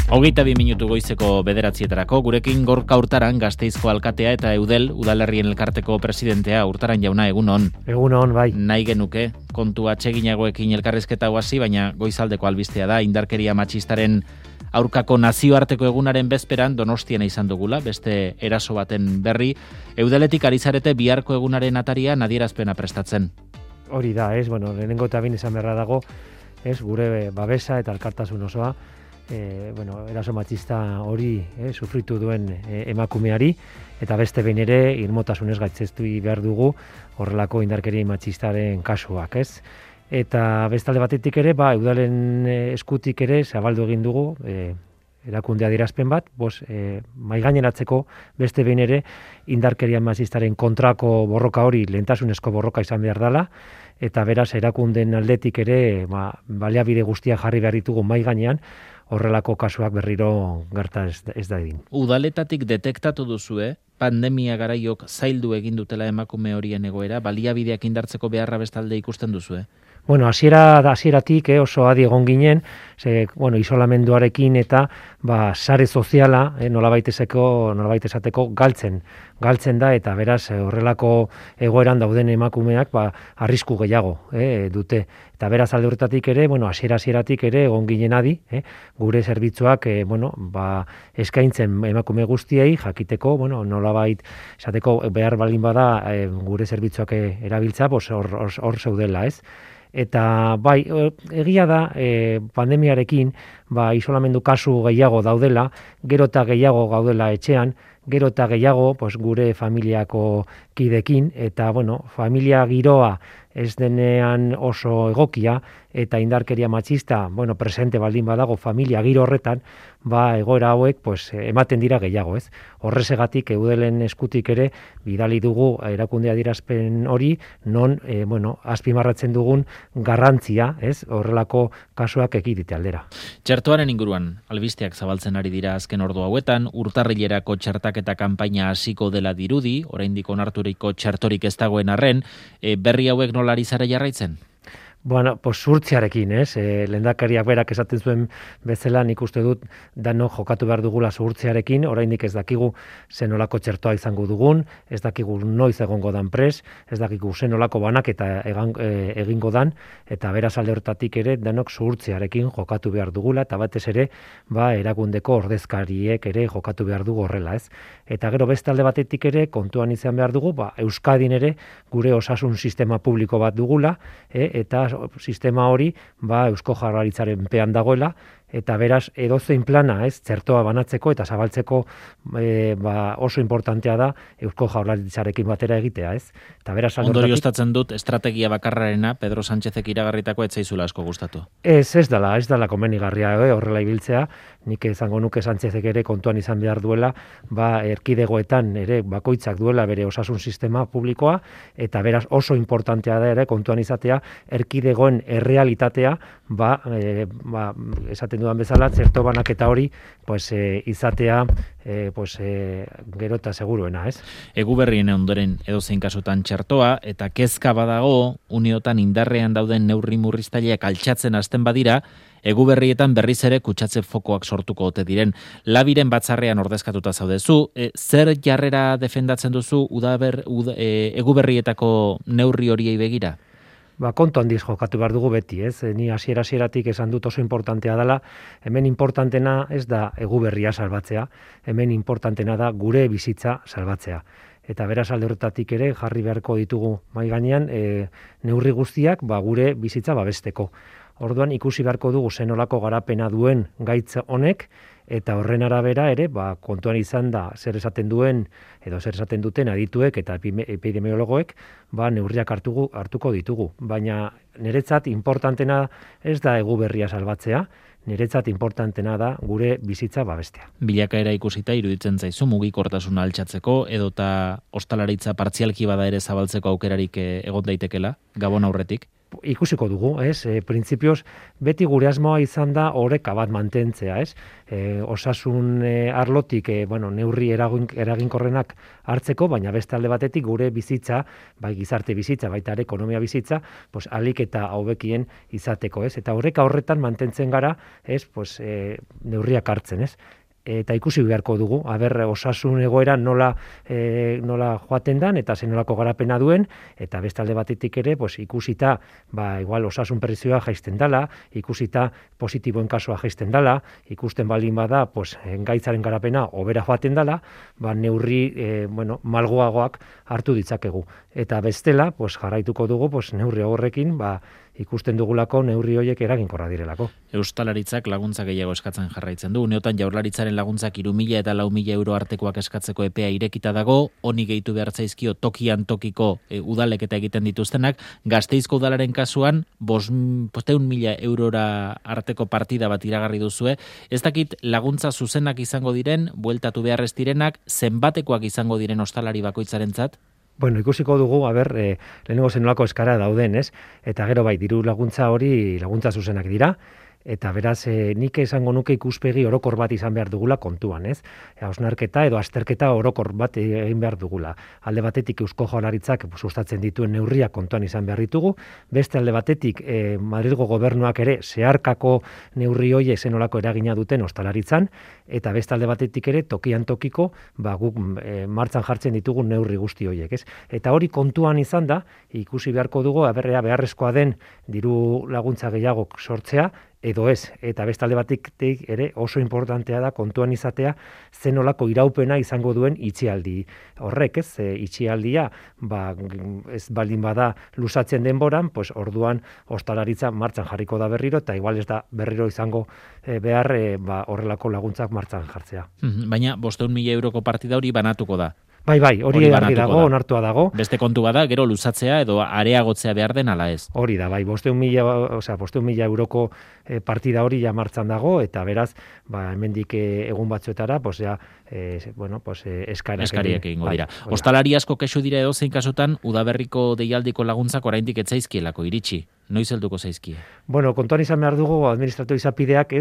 22 minutu goizeko 9:00 gurekin Gorka Urtaran, Gasteizko alkatea eta Eudel udalerrien elkarteko presidentea. Urtaran jauna, egunon. Egunon, bai. Nahi genuke kontu atseginagoekin elkarrizketa hasi, baina goizaldeko albistea da indarkeria matxistaren aurkako nazioarteko egunaren bezperan Donostian izan dugula, beste eraso baten berri. Eudeletik ari zarete biharko egunaren atarian adierazpena prestatzen. Hori da, lehenengo eta bin izan beharra dago, gure babesa eta elkartasun osoa, eraso matxista hori sufritu duen emakumeari, eta beste behin ere irmotasunez gaitzestu behar dugu horrelako indarkeria matxistaren kasuak, ez? Eta bestalde batetik ere, Eudalen eskutik ere zabaldu egin dugu, erakunde adierazpen bat, maigaineratzeko beste behin ere indarkeria matxistaren kontrako borroka hori lehentasunezko borroka izan behar dela, eta beraz erakundeen aldetik ere baliabide guztia jarri behar ditugu maigainean, horrelako kasuak berriro gerta ez da egin. Udaletatik detektatu duzue, pandemia garaiok zaildu egin dutela emakume horien egoera, baliabideak indartzeko beharra bestalde ikusten duzue? Hasieratik oso adi egon ginen, isolamenduarekin eta sare soziala nolabait esateko galtzen da, eta beraz horrelako egoeran dauden emakumeak arrisku gehiago dute. Eta beraz alde horretatik ere, hasieratik ere egon ginen adi, gure zerbitzuak eskaintzen emakume guztiei jakiteko, nolabait esateko behar balin bada gure zerbitzuak erabiltza, hor zeudela, ez? Eta egia da pandemiarekin isolamendu kasu gehiago daudela, gero eta gehiago gaudela etxean, gero eta gehiago gure familiako kidekin, eta familia giroa ez denean oso egokia, eta indarkeria matxista presente baldin badago familia giro horretan, egoera hauek ematen dira gehiago, ez? Horrezegatik Eudelen eskutik ere bidali dugu erakunde adierazpen hori, non azpimarratzen dugun garrantzia, ez? Horrelako kasuak ekidite aldera. Txertoaren inguruan albisteak zabaltzen ari dira azken ordu hauetan, urtarrilerako txertaketa kanpaina hasiko dela dirudi, oraindik onarturiko txertorik ez dagoen arren, berri hauek nola ari zara jarraitzen? Zuhurtziarekin, lehendakariak berak esaten zuen bezala, nik uste dut danok jokatu behar dugula zuhurtziarekin, oraindik ez dakigu zenolako txertoa izango dugun, ez dakigu noiz egongo dan pres, ez dakigu zenolako banaketa egingo dan, eta beraz alde hortatik ere danok zuhurtziarekin jokatu behar dugula, eta batez ere erakundeko ordezkariek ere jokatu behar dugu horrela, ez? Eta gero beste alde batetik ere kontuan izan behar dugu, Euskadin ere gure osasun sistema publiko bat dugula, eta sistema hori Eusko Jaurlaritzaren pean dagoela, eta beraz edozein plana, txertoa banatzeko eta zabaltzeko oso importantea da Eusko Jaurlaritzarekin batera egitea, ez? Eta beraz ondorioztatzen dut estrategia bakarrarena Pedro Sánchezek iragarritako ez zaizula asko gustatu. Ez dela komenigarria horrela ibiltzea, nik izango nuke Sánchezek ere kontuan izan behar duela, erkidegoetan ere bakoitzak duela bere osasun sistema publikoa, eta beraz oso importantea da ere kontuan izatea erkidegoen errealitatea, esaten dudan bezala, txerto banaketa hori izatea gero eta seguruena, ez? Eguberrien ondoren edozein kasutan txertoa, eta kezka badago uniotan indarrean dauden neurri murriztaileak altxatzen hasten badira, Eguberrietan berriz ere kutsatze fokoak sortuko ote diren. Labiren batzarrean ordezkatuta zaudezu, zer jarrera defendatzen duzu Eguberrietako neurri horiei begira? Kontu handiz jokatu behar dugu beti, ez? Ni hasieratik esan dut oso importantea dela, hemen importantena ez da Eguberria salbatzea, hemen importantena da gure bizitza salbatzea. Eta beraz alde horretatik ere jarri beharko ditugu mahai gainean neurri guztiak gure bizitza babesteko. Orduan ikusi beharko dugu zenolako garapena duen gaitz honek, eta horren arabera ere kontuan izan da zer esaten duen edo zer esaten duten adituek eta epidemiologoek neurriak hartuko ditugu. Baina niretzat importantena ez da Eguberria salbatzea, niretzat importantena da gure bizitza babestea. Bilakaera ikusita iruditzen zaizu mugikortasuna altxatzeko edota ostalaritza partzialki bada ere zabaltzeko aukerarik egon daitekela Gabon aurretik? ikusiko dugu, ez? Printzipioz, beti gure asmoa izan da oreka bat mantentzea, ez? Osasun arlotik, neurri eraginkorrenak hartzeko, baina beste alde batetik gure bizitza, bai gizarte bizitza, baita ere ekonomia bizitza, pues alik eta hobekien izateko, ez? Eta oreka horretan mantentzen gara, ez? Pues neurriak hartzen, ez? Eta ikusi beharko dugu, osasun egoera nola joaten dan, eta zenolako garapena duen, eta beste alde batetik ere, pues, ikusita, igual osasun prezioa jaisten dala, ikusita positiboen kasua jaisten dala, ikusten baldin bada, pues, gaitzaren garapena hobera joaten dala, neurri, malgoagoak hartu ditzakegu. Eta bestela, pues, jarraituko dugu, pues, neurri horrekin, ikusten dugulako neurri horiek eraginkorra direlako. Eustalaritzak laguntza gehiago eskatzen jarraitzen du. Uneotan Jaurlaritzaren laguntzak 3.000 eta 4.000 euro artekoak eskatzeko epea irekita dago, honi gehitu behar zaizkio tokian tokiko udalek eta egiten dituztenak. Gasteizko udalaren kasuan 500.000 eurora arteko partida bat iragarri duzue. Ez dakit laguntza zuzenak izango diren, bueltatu behar ez direnak, zenbatekoak izango diren ostalari bakoitzarentzat? Ikusiko dugu, lehenengo zenolako eskara dauden, ez? Eta gero diru laguntza hori laguntza zuzenak dira, eta beraz nik esango nuke ikuspegi orokor bat izan behar dugula kontuan, ez? Hausnarketa edo azterketa orokor bat egin behar dugula. Alde batetik Eusko Jaurlaritzak sustatzen dituen neurriak kontuan izan behar ditugu, beste alde batetik Madrilgo gobernuak ere zeharkako neurri horiek zenolako eragina duten ostalaritzan, eta beste alde batetik ere tokian tokiko guk martxan jartzen ditugu neurri guzti horiek, ez? Eta hori kontuan izan da, ikusi beharko dugu beharrezkoa den diru laguntza gehiago sortzea, edo ez, eta beste alde batetik ere oso importantea da kontuan izatea zenolako iraupena izango duen itxialdi horrek, ez? Itxialdia, ez baldin bada luzatzen denboran, pues orduan ostalaritza martxan jarriko da berriro, eta igual ez da berriro izango behar horrelako laguntzak martxan jartzea. Baina 500.000 euroko partida hori banatuko da. Bai, hori argi dago, onartua dago. Beste kontu bada, gero luzatzea edo areagotzea behar den ala ez. Hori da, 500.000 euroko partida hori ja martxan dago, eta beraz, hemendik egun batzuetara, eskariak egingo dira. Ostalari asko kexu dira edozein kasutan, udaberriko deialdiko laguntzak oraindik ez zaizkielako iritsi. Noiz helduko zaizkie? Kontuan izan behar dugu administratu izapideak,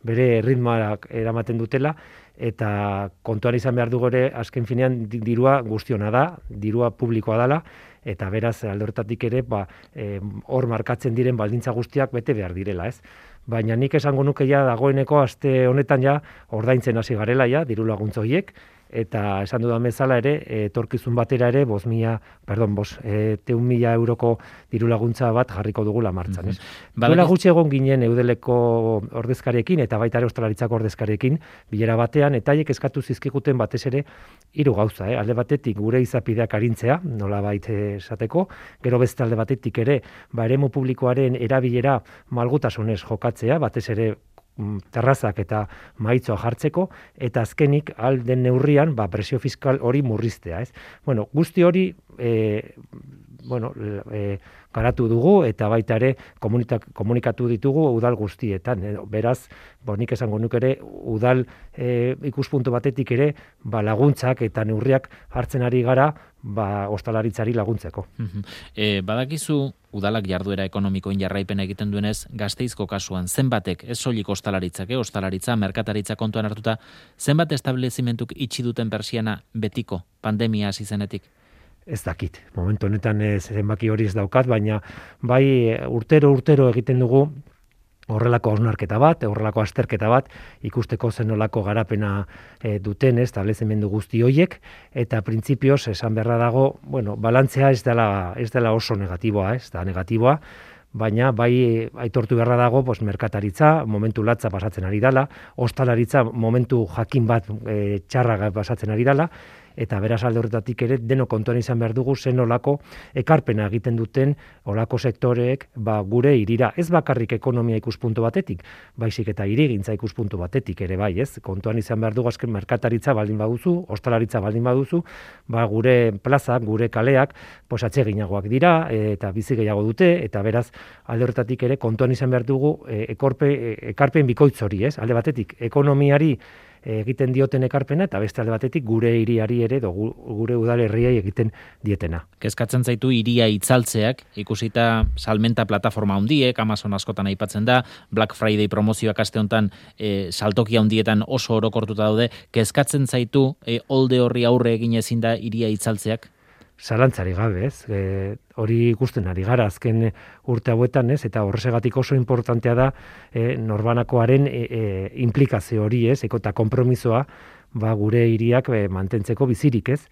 bere ritmoak eramaten dutela, eta kontuan izan behar dugu ere, azken finean dirua guztiona da, dirua publikoa dela, eta beraz alde horretatik ere, hor markatzen diren baldintza guztiak bete behar direla, ez? Baina nik esango nuke dagoeneko aste honetan ordaintzen hasi garela diru laguntza horiek, eta esan dudan bezala ere, etorkizun batera ere, 500.000 euroko diru laguntza bat jarriko dugula martxan, ez? Duela gutxi egon ginen Eudeleko ordezkariekin, eta baita ere Ostalaritzako ordezkariekin, bilera batean, eta haiek eskatu zizkiguten batez ere 3 gauza, alde batetik gure izapideak arintzea, nolabait esateko, gero beste alde batetik ere, eremu publikoaren erabilera malgutasunez jokatzea, batez ere terrazak eta maitzoa jartzeko, eta azkenik alden neurrian presio fiskal hori murriztea, ez? Guzti hori garatu dugu, eta baita ere komunikatu ditugu udal guztietan. Beraz, nik esango nuke ere, udal ikuspuntu batetik ere, laguntzak eta neurriak hartzen ari gara, ostalaritzari laguntzeko. Badakizu, udalak jarduera ekonomikoen jarraipena egiten duenez, Gasteizko kasuan, zenbatek, ez soilik ostalaritzak, ostalaritza, merkataritza kontuan hartuta, zenbat establezimentuk itxi duten persiana betiko, pandemia hasi zenetik? Ez dakit, momentu honetan zenbaki hori ez daukat, baina urtero egiten dugu horrelako hausnarketa bat, horrelako azterketa bat, ikusteko zenolako garapena duten establezimendu guzti horiek, eta printzipioz esan beharra dago, balantzea ez dela oso negatiboa, ez da negatiboa, baina aitortu beharra dago merkataritza momentu latza pasatzen ari dela, ostalaritza momentu jakin bat txarra pasatzen ari dela, eta beraz alde horretatik ere deno kontuan izan behar dugu zenolako ekarpena egiten duten olako sektoreek gure hirira, ez bakarrik ekonomia ikuspuntu batetik, baizik eta hirigintza ikuspuntu batetik ere ez? Kontuan izan behar dugu azken merkataritza baldin baduzu, ostalaritza baldin baduzu, gure plazak, gure kaleak, atseginagoak dira eta bizi gehiago dute, eta beraz alde horretatik ere kontuan izan behar dugu ekarpen bikoitz hori, ez? Alde batetik ekonomiari egiten dioten ekarpena, eta beste alde batetik gure hiriari ere, gure udalerriei egiten dietena. Kezkatzen zaitu hiria itzaltzeak, ikusita salmenta plataforma handiek, Amazon askotan aipatzen da, Black Friday promozioak aste honetan saltoki handietan oso orokortuta daude, kezkatzen zaitu olde horri aurre egin ezin da hiria itzaltzeak? Zalantzari gabe, ez? Hori ikusten ari gara azken urte hauetan, ez? Eta horregatik oso importantea da norbanakoaren implikazio hori, ez? Eta konpromisoa gure hiriak mantentzeko bizirik, ez?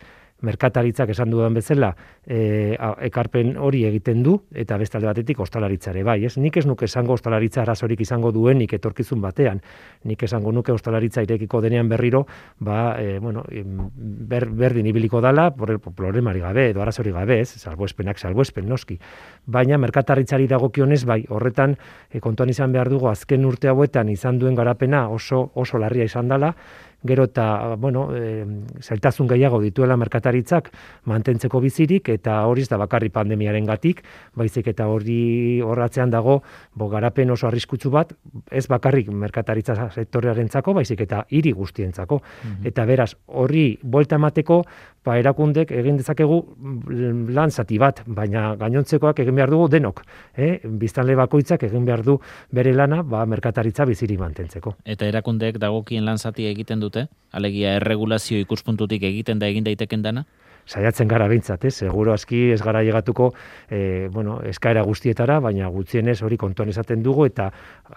Merkataritzak esan dudan bezala ekarpen hori egiten du, eta beste alde batetik ostalaritzare bai, ez? Nik ez nuke esango ostalaritza arazorik izango duenik etorkizun batean. Nik esango nuke ostalaritza irekiko denean berriro, berdin ibiliko dala, problemari gabe, edo arazorik gabe, ez? Salbuespen noski. Baina merkataritzari dagokionez bai, horretan kontuan izan behar dugu azken urte hauetan izan duen garapena oso larria izan dela, gero eta, zailtasun gehiago dituela merkataritzak mantentzeko bizirik, eta hori ez da bakarri pandemiaren gatik, baizik eta horratzean dago garapen oso arriskutsu bat, ez bakarrik merkataritza sektorearentzako, baizik eta hiri guztientzako. Eta beraz, horri buelta emateko, erakundek egin dezakegu lan zati bat, baina gainontzekoak egin behar dugu denok. Biztanle bakoitzak egin behar du bere lana merkataritza bizirik mantentzeko. Eta erakundek dagokien lan zatia egiten dute? Alegia erregulazio ikuspuntutik egiten da egin daiteken dana? Saiatzen gara behintzat, seguro aski ez gara llegatuko eskaera guztietara, baina gutxienez hori kontuan izaten dugu, eta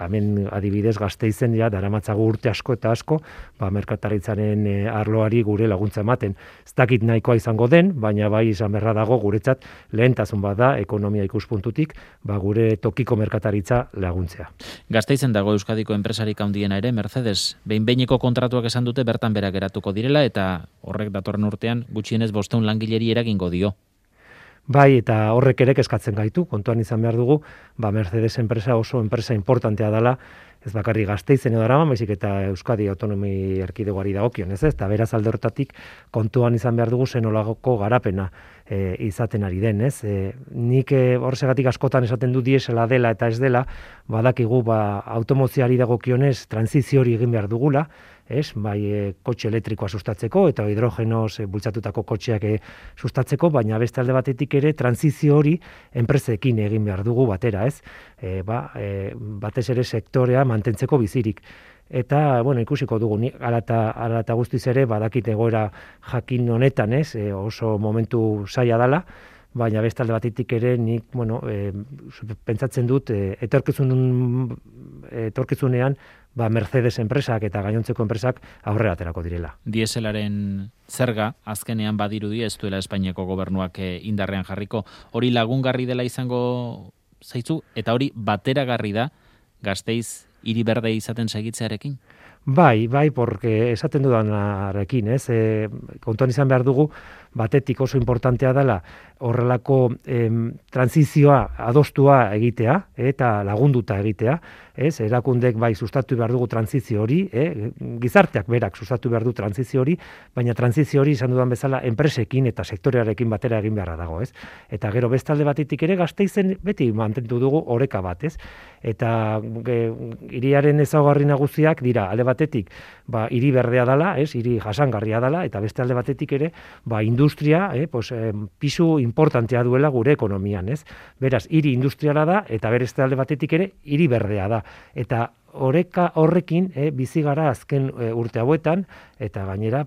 hemen adibidez Gasteizen daramatzagu urte asko eta asko, merkataritzaren arloari gure laguntza ematen. Ez dakit nahikoa izango den, baina bai izan beharra dago guretzat lehentasun bat da ekonomia ikuspuntutik, gure tokiko merkataritza laguntzea. Gasteizen dago Euskadiko enpresarik handiena ere, Mercedes, behin-behineko kontratuak esan dute bertan berak geratuko direla, eta horrek datorren urtean gutxienez 500 langileri eragingo dio. Bai, eta horrek ere kezkatzen gaitu, kontuan izan behar dugu, Mercedes enpresa oso enpresa importantea dela, ez bakarri Gasteizen edo Araban, baizik eta Euskadi autonomi erkidegoari dagokion, ez? Eta beraz alde horretatik kontuan izan behar dugu zenolagoko garapena izaten ari den, ez? Nik horregatik askotan esaten du diesela dela eta ez dela, badakigu automozioari dagokionez trantsizio hori egin behar dugula, ez? Bai, kotxe elektrikoa sustatzeko eta hidrogenoz bultzatutako kotxeak sustatzeko, baina beste alde batetik ere trantsizio hori enpresekin egin behar dugu batera, ez? Batez ere sektorea mantentzeko bizirik. Eta, ikusiko dugu, hala eta guztiz ere, badakit egoera jakin honetan, ez? Oso momentu zaila dela, baina beste alde batetik ere nik, pentsatzen dut, etorkizunean, Mercedes enpresak eta gainontzeko enpresak aurrera aterako direla. Dieselaren zerga, azkenean badirudi ez duela Espainiako gobernuak indarrean jarriko. Hori lagungarri dela izango zaitzu, eta hori bateragarri da Gasteiz hiri berde izaten segitzearekin? Bai, porque esaten dudanarekin, ez? Kontuan izan behar dugu, batetik oso importantea dela horrelako transizioa adostua egitea eta lagunduta egitea, ez? Erakundek bai sustatu behar dugu trantzizio hori, gizarteak berak sustatu behar du trantzizio hori, baina trantzizio hori izan dudan bezala enpresekin eta sektorearekin batera egin beharra dago, ez? Eta gero bestalde batetik ere Gasteizen beti mantendu dugu oreka bat, ez? Eta hiriaren ezaugarri nagusiak dira alde batetik, hiri berdea dela, ez? Hiri jasangarria dela, eta beste alde batetik ere, industria, pisu importantea duela gure ekonomian, ez? Beraz, hiri industriala da, eta beste alde batetik ere, hiri berdea da. Eta horrekin bizi gara azken urte hauetan, eta gainera,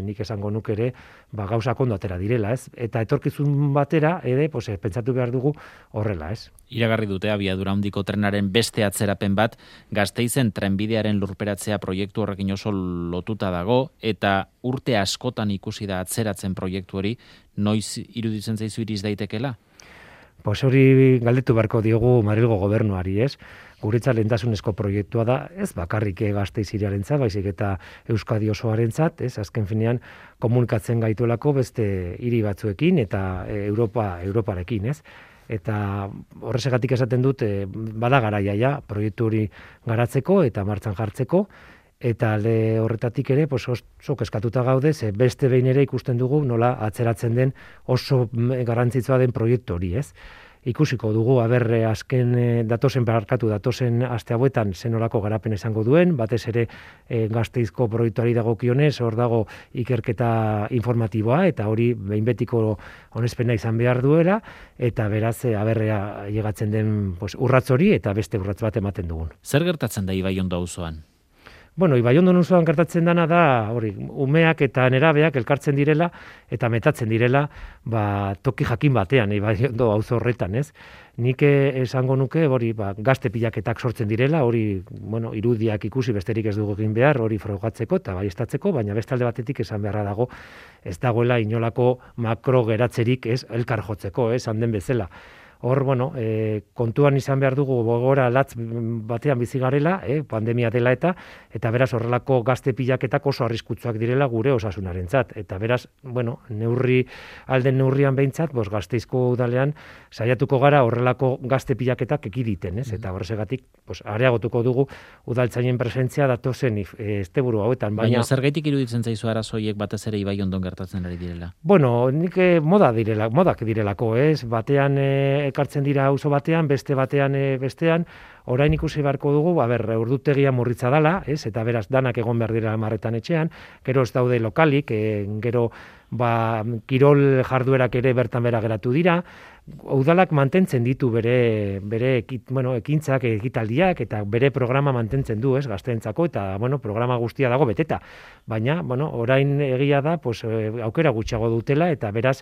nik esango nuke ere, gauzak ondo atera direla, ez? Eta etorkizun batera, pentsatu behar dugu horrela, ez? Iragarri dute abiadura handiko trenaren beste atzerapen bat, Gasteizen trenbidearen lurperatzea proiektu horrekin oso lotuta dago, eta urte askotan ikusi da atzeratzen proiektu hori, noiz iruditzen zaizu iriz daitekela? Hori galdetu beharko diogu Madrilgo gobernuari, ez? Guretzat lehentasunezko proiektua da, ez bakarrik Gasteiz hiriarentzat, baizik eta Euskadi osoarentzat, ez? Azken finean komunikatzen gaituelako beste hiri batzuekin eta Europarekin, ez? Eta horregatik esaten dut, bada garaia proiektu hori garatzeko eta martxan jartzeko, eta alde horretatik ere oso kezkatuta gaude, beste behin ere ikusten dugu nola atzeratzen den oso garrantzitsua den proiektu hori, ez? ikusiko dugu azken datozen aste hauetan zenolako garapen izango duen, batez ere Gasteizko proiektuari dagokionez, hor dago ikerketa informatiboa eta hori behin betiko onespena izan behar duela eta beraz aberrea llegatzen den urratz hori eta beste urratz bat ematen dugun. Zer gertatzen da Ibaiondo auzoan? Bueno, Ibaiondo auzoan gertatzen dana da, umeak eta nerabeak elkartzen direla eta metatzen direla, toki jakin batean Ibaiondo auzo horretan, ez? Nik esango nuke, gazte pilaketak sortzen direla, irudiak ikusi besterik ez dugu egin behar, hori frogatzeko eta baiestatzeko, baina beste alde batetik esan beharra dago, ez dagoela inolako makro geratzerik ez elkar jotzeko, handen bezala. Hor, kontuan izan behar dugu gogora latz batean bizi garela, pandemia dela eta beraz horrelako gazte pilaketak oso arriskutsuak direla gure osasunarentzat. Eta beraz, alden neurrian behintzat, Gasteizko udalean saiatuko gara horrelako gazte pilaketak ekiditen, ez? Eta horregatik areagotuko dugu udaltzainen presentzia datozen asteburu hauetan. Baina zergaitik iruditzen zaizu arazoiek batez ere Ibaiondon gertatzen ari direla? Nik modak direlako, ez? Batean ekartzen dira auzo batean, beste batean bestean, orain ikusi beharko dugu, ordutegia murritza dala, ez? Eta beraz danak egon behar dira marretan etxean, gero ez daude lokalik, gero kirol jarduerak ere bertan bera geratu dira, udalak mantentzen ditu bere ekintzak, ekitaldiak eta bere programa mantentzen du, ez, gazteentzako eta programa guztia dago beteta. Baina, orain egia da, aukera gutxiago dutela eta beraz,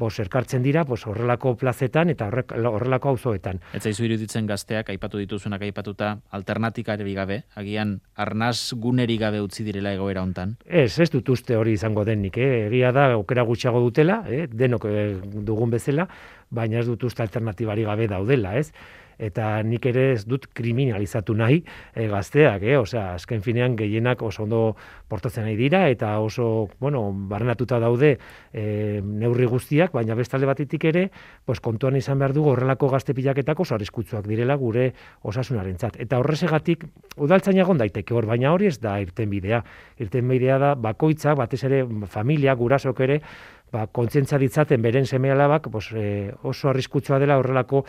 elkartzen dira horrelako plazetan eta horrelako auzoetan. Ez zaizu iruditzen gazteak aipatu dituzunak aipatuta alternatikari gabe, agian arnaz guneri gabe utzi direla egoera hontan? Ez dut uste hori izango denik, egia da aukera gutxiago dutela, denok dugun bezala, baina ez dut uste alternatibari gabe daudela, ez? Eta nik ere ez dut kriminalizatu nahi gazteak, azken finean gehienak oso ondo portatzen nahi dira eta oso, barrenatuta daude neurri guztiak, baina bestalde batetik ere, kontuan izan behar dugu horrelako gazte pilaketak oso arriskutsuak direla gure osasunarentzat. Eta horregatik udaltzaina egon daiteke hor, baina hori ez da irtenbidea. Irtenbidea da bakoitzak, batez ere familia, gurasok ere, kontzientzia ditzaten beren seme-alabak oso arriskutsua dela horrelako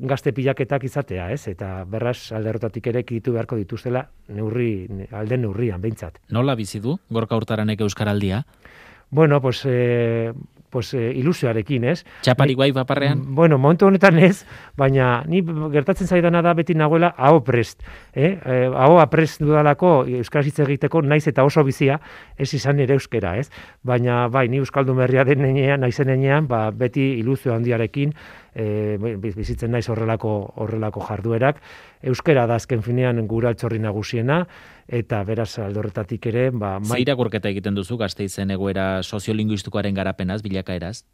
gazte pilaketak izatea, ez? Eta berraz alderrotatik ere ekiditu beharko dituztela alden neurrian, behintzat. Nola bizi du Gorka Hurtaranek Euskaraldia? Ilusioarekin, ez? Txaparik bai paparrean? Momentu honetan ez, baina ni gertatzen zaidana da beti nagoela aho prest. Ahoa prest dudalako euskaraz hitz egiteko naiz eta oso bizia, ez izan ere euskera, ez? Baina ni euskaldun berria naizen enean, beti ilusio handiarekin bizitzen naiz horrelako jarduerak. Euskera da azken finean gure altxorri nagusiena, eta beraz aldorretatik ere... Zer irakurketa egiten duzu Gasteizen egoera soziolinguistikoaren garapenaz, bilakaeraz?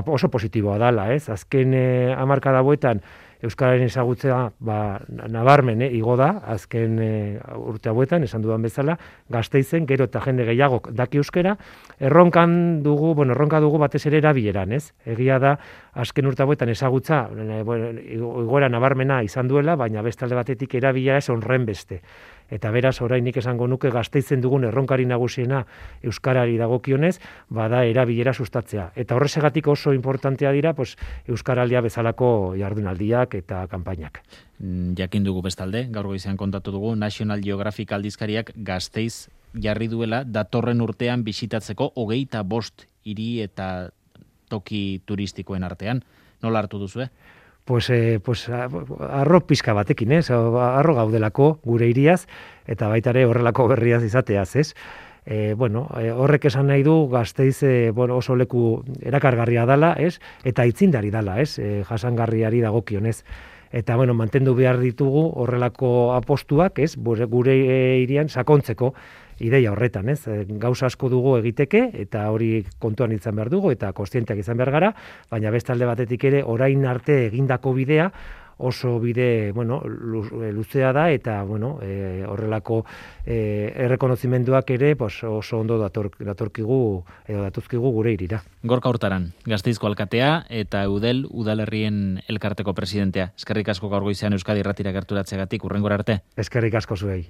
Oso positiboa dala, ez? Azken hamarkada hauetan euskararen ezagutzea nabarmen igo da, azken urte hauetan, esan dudan bezala, Gasteizen gero eta jende gehiago daki euskera, erronka dugu batez ere erabileran, ez? Egia da, azken urte hauetan ezagutza, igoera nabarmena izan duela, baina beste alde batetik erabilera ez honren beste. Eta beraz, orainik esango nuke Gasteizen dugun erronkari nagusiena euskarari dagokionez, bada erabilera sustatzea. Eta horregatik oso importantea dira, euskaraldia bezalako jardunaldiak eta kanpainak. Jakin dugu bestalde, gaur goizean kontatu dugu, National Geographic aldizkariak Gasteiz jarri duela datorren urtean bisitatzeko 25 hiri eta toki turistikoen artean. Nola hartu duzue? Arro pizka batekin, ez? Arro gaudelako gure hiriaz, eta baita ere horrelako berriaz izateaz, ez? Horrek esan nahi du Gasteiz oso leku erakargarria dala, ez? Eta aitzindari dala, ez? Jasangarriari dagokionez. Eta, mantendu behar ditugu horrelako apostuak, ez? Gure hirian sakontzeko ideia horretan, ez? Gauza asko dugu egiteke, eta hori kontuan izan behar dugu, eta kontzienteak izan behar gara, baina beste alde batetik ere, orain arte egindako bidea, oso bide, luzea da, eta, horrelako errekonozimenduak ere, oso ondo datuzkigu gure irira. Gorka Hurtaran, Gasteizko alkatea, eta Eudel udalerrien elkarteko presidentea. Eskerrik asko gaur goizean Euskadi Irratira gerturatzeagatik, hurrengora arte. Eskerrik asko zuei.